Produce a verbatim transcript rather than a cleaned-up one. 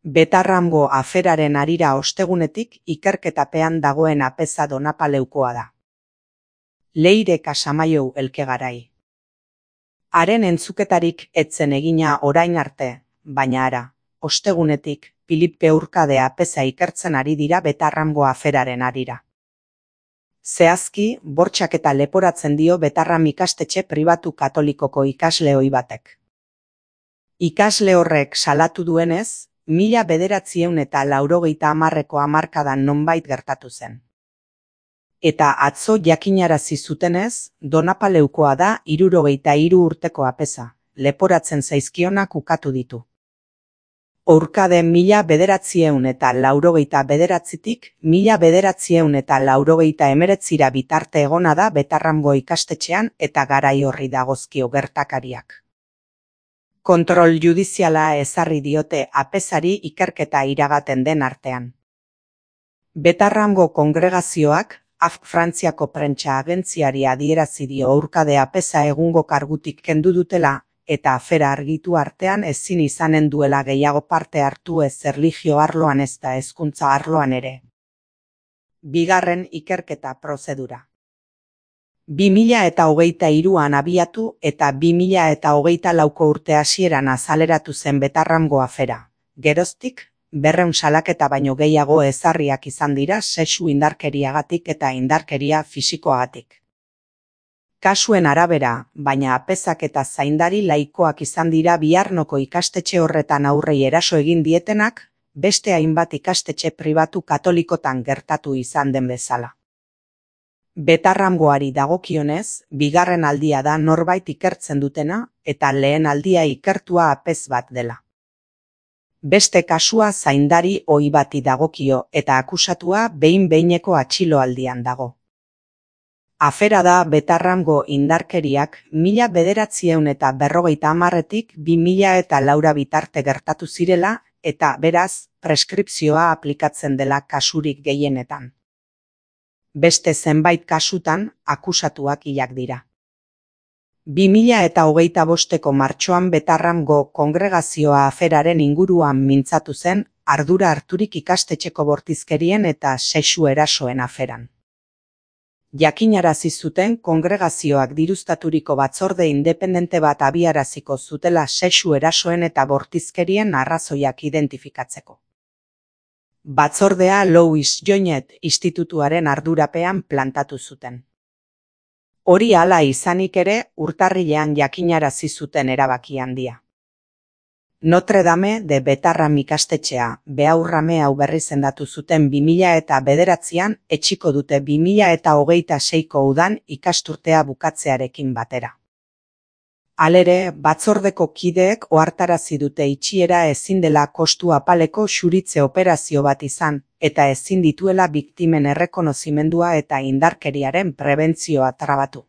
Betarrango aferaren harira ostegunetik ikerketapean dagoen apeza Donapaleukoa da. Leire Casamaiou elkegarai. Haren entzuketarik etzen egina orain arte, baina ara, ostegunetik, Filipe Urkade apeza ikertzen ari dira Betarrango aferaren harira. Zehazki, bortxaketa leporatzen dio Betarram ikastetxe pribatu katolikoko ikasle ohi batek. Ikasle horrek salatu duenez, mila bederatziehun eta laurogeita hamarreko hamarkadan nonbait gertatu zen. Eta atzo jakinarazi zutenez, Donapaleukoa da hirurogeita hiru urteko apeza, leporatzen zaizkionak ukatu ditu. Urkade mila bederatziehun eta laurogeita bederatzitik mila bederatziehun eta laurogeita hemeretzira bitarte egona da Betarrango ikastetxean eta garai horri dagozkio gertakariak. Kontrol judiziala ezarri diote apezari ikerketa iragaten den artean. Betarrango kongregazioak, A F Frantziako prentsa agentziari adierazi dio Urkade apeza egungo kargutik kendu dutela, eta afera argitu artean ezin izanen duela gehiago parte hartu ez erlijio arloan ezta hezkuntza arloan ere. Bigarren ikerketa prozedura. bi mila eta hogeita hiruan abiatu eta bi mila eta hogeita lauko urte hasieran azaleratu zen Betarrango afera. Geroztik, berrehun salaketa baino gehiago ezarriak izan dira sexu indarkeriagatik eta indarkeria fisikoagatik. Kasuen arabera, baina apezak eta zaindari laikoak izan dira Biarnoko ikastetxe horretan aurrei eraso egin dietenak, beste hainbat ikastetxe pribatu katolikotan gertatu izan den bezala. Betarrangoari dagokionez, bigarren aldia da norbait ikertzen dutena, eta lehen aldia ikertua apez bat dela. Beste kasua zaindari ohi bati dagokio eta akusatua behin-behineko atxiloaldian dago. Afera da Betarrango indarkeriak mila bederatziehun eta berrogeita hamarretik bi mila eta laura bitarte gertatu zirela eta beraz preskripzioa aplikatzen dela kasurik gehienetan. Beste zenbait kasutan akusatuak hilak dira. bi mila eta hogeita bosteko martxoan Betarrango kongregazioa aferaren inguruan mintzatu zen ardura harturik ikastetxeko bortizkerien eta sexu erasoen aferan. Jakinarazi zuten kongregazioak diruztaturiko batzorde independente bat abiaraziko zutela sexu erasoen eta bortizkerien arrazoiak identifikatzeko. Batzordea Louis Joinet institutuaren ardurapean plantatu zuten. Hori hala izanik ere, urtarrilean jakinarazi zuten erabaki handia. Notre Dame de Betarram ikastetxea, Beaurrame hau berri zendatu zuten bi mila eta bederatzian, etxiko dute bi mila eta hogeita seiko udan ikasturtea bukatzearekin batera. Halere, batzordeko kideek ohartarazi dute itxiera ezin dela kostu apaleko xuritze operazio bat izan, eta ezin dituela biktimen errekonozimendua eta indarkeriaren prebentzioa trabatu.